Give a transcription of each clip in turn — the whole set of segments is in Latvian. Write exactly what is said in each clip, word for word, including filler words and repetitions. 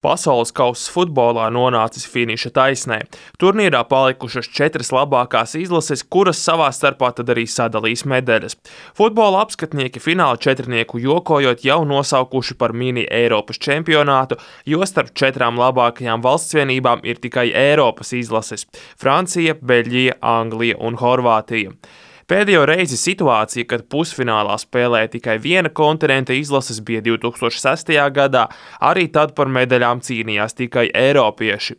Pasaules kauss futbolā nonācis finiša taisnē. Turnīrā palikušas četras labākās izlases, kuras savā starpā tad arī sadalīs medaļas. Futbola apskatnieki fināla četrnieku jokojot jau nosaukuši par mini Eiropas čempionātu, jo starp četrām labākajām valstsvienībām ir tikai Eiropas izlases – Francija, Beļģija, Anglija un Horvātija. Pēdējo reizi situācija, kad pusfinālā spēlēja tikai viena kontinenta izlases, bija divi tūkstoši sestajā gadā, arī tad par medaļām cīnījās tikai eiropieši.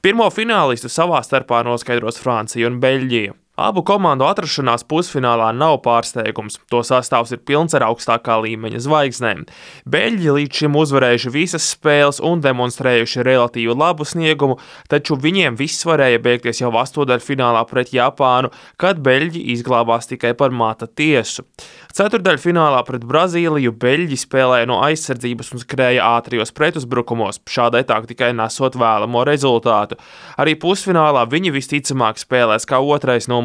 Pirmo finālistu savā starpā noskaidros Francija un Beļģija. Abu komandu atrašanās pusfinālā nav pārsteigums, to sastāvs ir pilns ar augstākā līmeņa zvaigznēm. Beļģi līdz šim uzvarējuši visas spēles un demonstrējuši relatīvi labu sniegumu, taču viņiem viss varēja beigties jau astoņdaļfinālā pret Japānu, kad Beļģi izglābās tikai par mata tiesu. Ceturdaļfinālā pret Brazīliju Beļģi spēlēja no aizsardzības un skrēja ātrijos pretuzbrukumos, šādai taktikai nesot vēlamo rezultātu. Arī pusfinālā viņi visticamāk spēlēs kā otrais numurs.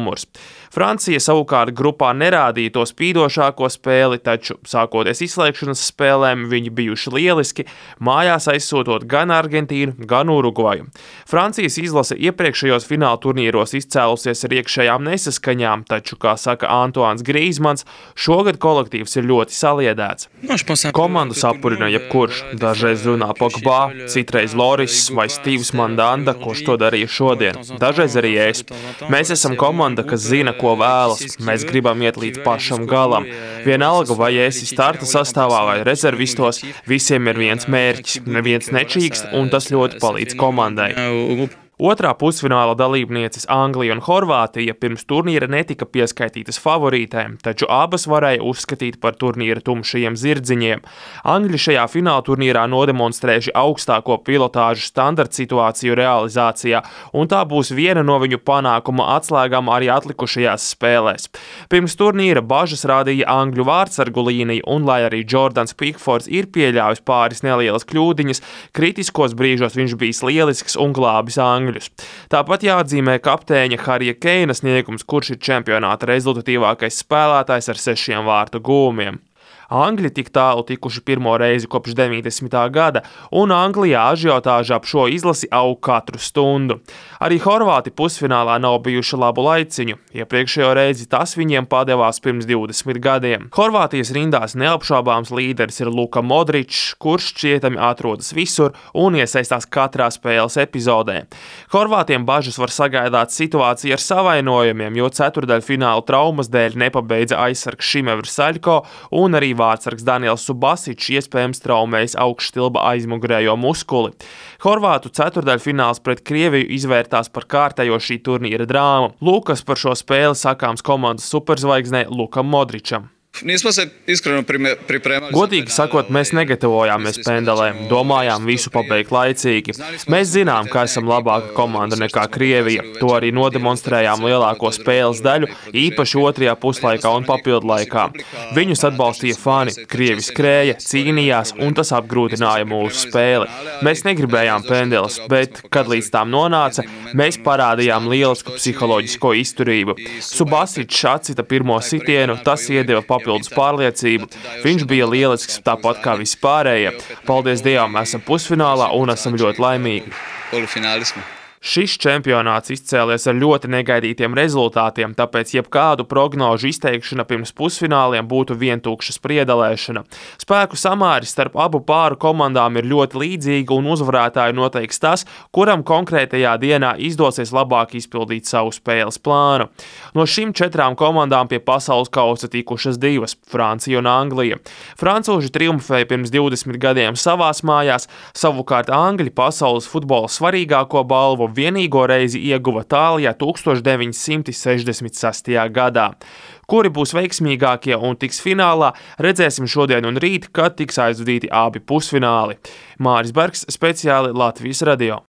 Francija savukārt grupā nerādīja to spīdošāko spēli, taču sākoties izslēgšanas spēlēm viņi bijuši lieliski, mājās aizsūtot gan Argentīnu, gan Urugvaju. Francijas izlase iepriekšējos fināla turnīros izcēlusies ar iekšējām nesaskaņām, taču, kā saka Antoans Grīzmans, šogad kolektīvs ir ļoti saliedēts. Komandu sapurina jebkurš, dažreiz runā Pogba, citreiz Loris vai Stīvs Mandanda, kurš to darīja šodien, dažreiz arī es. Mēs esam komanda, kas zina, ko vēlas. Mēs gribam iet līdz pašam galam. Vienalga, vai esi starta sastāvā vai rezervistos, visiem ir viens mērķis, neviens nečīkst, un tas ļoti palīdz komandai. Otrā pusfināla dalībnieces Anglija un Horvātija pirms turnīra netika pieskaitītas favorītēm, taču abas varēja uzskatīt par turnīra tumšajiem zirdziņiem. Angļi šajā fināla turnīrā nodemonstrējuši augstāko pilotāžu standarta situāciju realizācijā, un tā būs viena no viņu panākuma atslēgām arī atlikušajās spēlēs. Pirms turnīra bažas rādīja Angļu vārtsargu līnija, un lai arī Jordans Pickfords ir pieļāvis pāris nelielas kļūdiņas, kritiskos brīžos viņš bijis lielisks un glābis Angļu. Tāpat jāatzīmē kapteiņa Harija Keina sniegums, kurš ir čempionāta rezultatīvākais spēlētājs ar sešiem vārtu gūmiem. Angļi tik tālu tikuši pirmo reizi kopš deviņdesmitā gada, un Anglijā ažiotāža ap šo izlasi aug katru stundu. Arī Horvāti pusfinālā nav bijuši labu laiciņu, iepriekšējo reizi tas viņiem padevās pirms divdesmit gadiem. Horvātijas rindās neapšaubāms līderis ir Luka Modričs, kurš šķietami atrodas visur un iesaistās katrā spēles epizodē. Horvātiem bažas var sagaidāt situācija ar savainojumiem, jo ceturdaļfināla traumas dēļ nepabeidza aizsargs Šimevrs Saļko un arī vārtsargs Daniels Subasičs iespējams traumējis augšstilba aizmugurējo muskuli. Horvātu ceturdaļfināls pret Krieviju izvērtās par kārtējo šī turnīra drāmu. Lūkas par šo spēli sakāms komandas superzvaigznei Lukam Modričam. Godīgi sakot, mēs negatavojāmies pendelēm, domājām visu pabeigt laicīgi. Mēs zinām, ka esam labāka komanda nekā Krievija, to arī nodemonstrējām lielāko spēles daļu, īpaši otrajā puslaikā un papildlaikā. Viņus atbalstīja fani, Krievi skrēja, cīnījās, un tas apgrūtināja mūsu spēli. Mēs negribējām pendeles, bet, kad līdz tām nonāca, mēs parādījām lielisku psiholoģisko izturību. Subasičs atcita pirmo sitienu, tas iedeva papildinājumu. Papildus pārliecību. Viņš bija lielisks tāpat kā vispārējie. Paldies Dievam, esam pusfinālā un esam ļoti laimīgi. Šis čempionāts izcēlies ar ļoti negaidītiem rezultātiem, tāpēc jebkādu prognožu izteikšana pirms pusfināliem būtu vientukša spriedelēšana. Spēku samāris starp abu pāru komandām ir ļoti līdzīga un uzvarētāju noteiks tas, kuram konkrētajā dienā izdosies labāk izpildīt savu spēles plānu. No šīm četrām komandām pie pasaules kausa tikušas divas – Francija un Anglija. Francūži triumfēja pirms divdesmit gadiem savās mājās, savukārt Angļi pasaules futbola svarīgāko balvu vienīgo reizi ieguva Tālijā tūkstoš deviņi simti sešdesmit sestajā gadā. Kuri būs veiksmīgākie un tiks finālā, redzēsim šodien un rīt, kad tiks aizvadīti abi pusfināli. Māris Bergs, speciāli Latvijas radio.